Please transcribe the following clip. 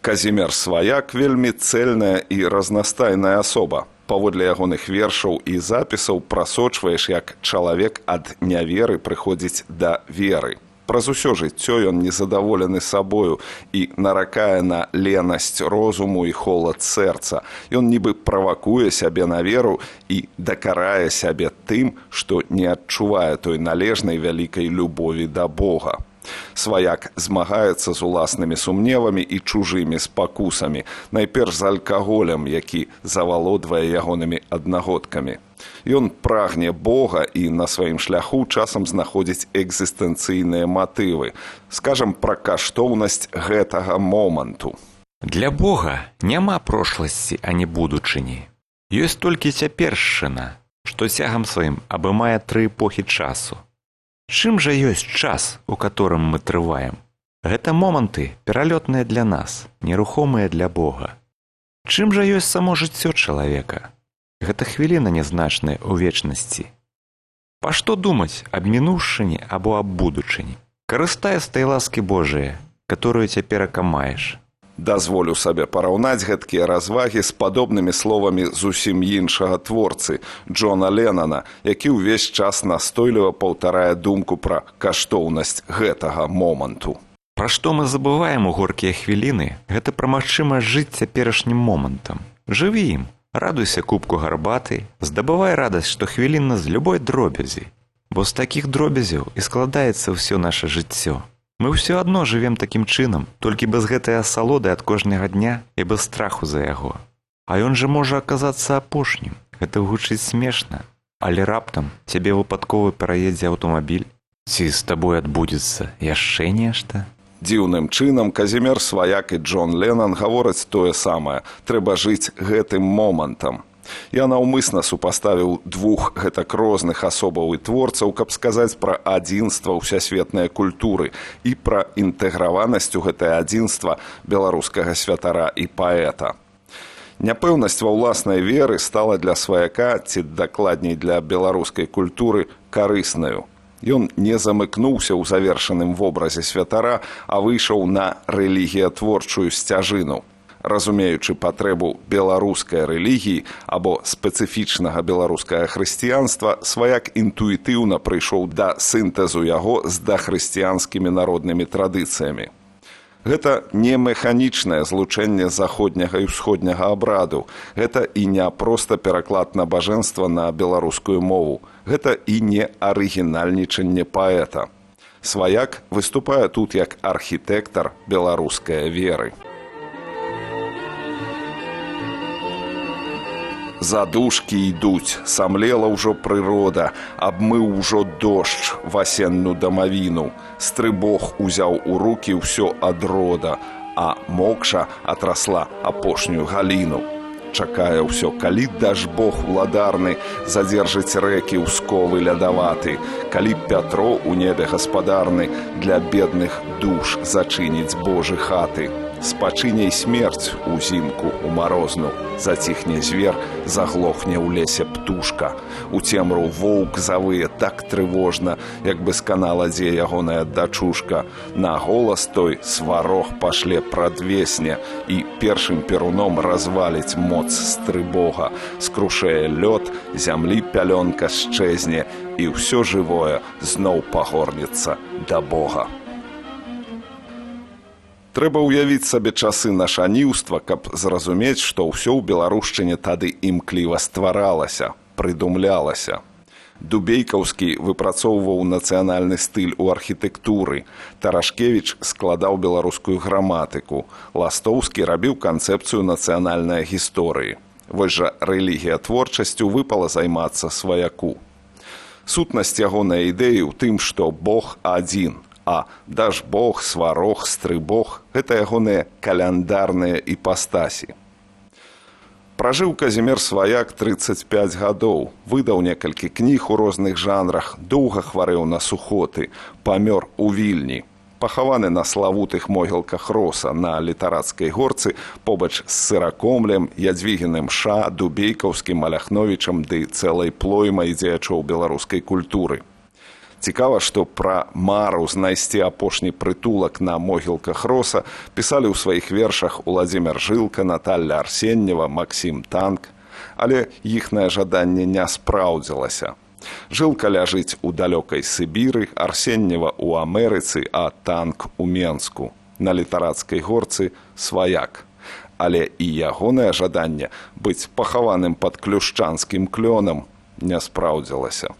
Казімер Сваяк вельмі цэльная і разнастайная асоба. Паводле ягоных вершаў і запісаў прасочваеш, як чалавек ад няверы прыходзіць да веры. Праз усё жыццё ён незадаволены сабою і наракае на ленасць розуму і холад сэрца. Ён нібы правакуе сябе на веру і дакарае сябе тым, што не адчувае той належнай вялікай любові да Бога. Сваяк змагаецца з уласнымі сумневамі і чужымі спакусамі, найперш з алкаголем, які завалодвае ягонымі аднагодкамі. Ён прагне Бога і на сваім шляху часам знаходзіць экзістэнцыйныя матывы. Скажам пра каштоўнасць гэтага моманту. Для Бога няма прошласці, а не будучыні. Ёсць толькі цяпершчына, што цягам сваім абымае 3 эпохі часу. Чым жа ёсць час, у которым мы трываем? Гэта моманты, пералётныя для нас, нерухомыя для Бога. Чым жа ёсць само жыццё чалавека? Гэта хвіліна нязначная ў вечнасці. Па што думаць аб мінуўшчыне або аб будучыні? Карыстай з той ласкі Божыяй, которую цяперака маеш. Дазволю сабе параўнаць гэткія развагі з падобнымі словамі зусім іншага творцы, Джона Леннона, які ўвесь час настойліва паўтарае думку пра каштоўнасць гэтага моманту. Пра што мы забываем у горкія хвіліны, гэта пра магчымасць жыць цяперашнім момантам. Жыві ім, радуйся кубку гарбаты, здабывай радасць штохвілінна з любой дробязі, бо з такіх дробязяў і складаецца ўсё наша жыццё. Мы ўсё адно жывем такім чынам, толькі без гэтай асалоды ад кожнага дня і без страху за яго. А ён жа можа аказацца апошнім. Гэта гучыць смешна. Але раптам цябе выпадкова пераедзе аўтамабіль. Ці з табой адбудзецца яшчэ нешта? Дзіўным чынам Казімер Сваяк і Джон Леннон гавораць тое самае. Трэба жыць гэтым момантам. Я наўмысна супаставіў 2 гэтак розных асобаў і творцаў, каб сказаць пра адзінства ўсясветнай культуры і пра інтэграванасць у гэтае адзінства беларускага святара і паэта. Няпэўнасць ва ўласнай веры стала для Сваяка, ці дакладней для беларускай культуры, карыснаю. Ён не замыкнуўся ў завершаным вобразе святара, а выйшаў на рэлігіятворчую сцяжыну. Разумеючы патрэбу беларускай рэлігіі або спецыфічнага беларускага хрысціянства, Сваяк інтуітыўна прыйшоў да сінтэзу яго з дахрысціянскімі народнымі традыцыямі. Гэта не механічнае злучэнне заходняга і ўсходняга абраду. Гэта і не проста пераклад набажэнства на беларускую мову. Гэта і не арыгінальнічанне паэта. Сваяк выступае тут як архітэктар беларускай веры. Задушкі ідуць, самлела ўжо прырода, абмыў ужо дождж васенную дамавіну, стрыбог узяў у рукі ўсё ад рода, а мокша атрасла апошнюю галіну. Чакае ўсё, калі дажбог уладарны задзержыць рэкі ўсковы лядаваты, калі Пятро у небе гаспадарны для бедных душ зачыніць Божы хаты. Спачыняй смерць узімку у марозну, заціхне звер, заглохне ў лесе птушка. У цемру воўк завые так трывожна, як бы сканала дзе ягоная дачушка. На голас той сварог пашле прадвесне і першым перуном разваліць моц стрыбога. Скрушае лёд, зямлі пялёнка счэзне, і ўсё жывое зноў пагорнецца да Бога. Трэба ўявіць сабе часы нашаніўства, каб зразумець, што ўсё ў беларушчыне тады імкліва стваралася, прыдумлялася. Дубейкаўскі выпрацоўваў нацыянальны стыль у архітэктуры, Тарашкевіч складаў беларускую граматыку, Ластоўскі рабіў канцэпцыю нацыянальнай гісторыі. Вось жа рэлігіятворчасцю выпала займацца Сваяку. Сутнасць ягонай ідэі ў тым, што Бог адзін, а дажбог, сварог, стрыбог – гэта ягоныя каляндарныя іпастасі. Пражыў Казімер Сваяк 35 гадоў, выдаў некалькі кніг у розных жанрах, доўга хварэў на сухоты, памёр у Вільні. Пахаваны на славутых могілках Роса на Літарацкай горцы побач з Сыракомлем, Ядвігіным Ша, Дубейкаўскім, Маляхновічам ды цэлай плоймай дзеячоў беларускай культуры. Цікава, што пра мару знайсці апошні прытулак на могілках роса пісалі ў сваіх вершах Уладзімір Жылка, Наталля Арсеньева, Максім Танк, але іхнае жаданне не спраўдзілася. Жылка ляжыць у далёкай Сібіры, Арсеньева ў Амерыцы, а Танк у Менску. На літарацкай горцы сваяк. Але і ягонае жаданне быць пахаваным пад клюшчанскім клёнам не спраўдзілася.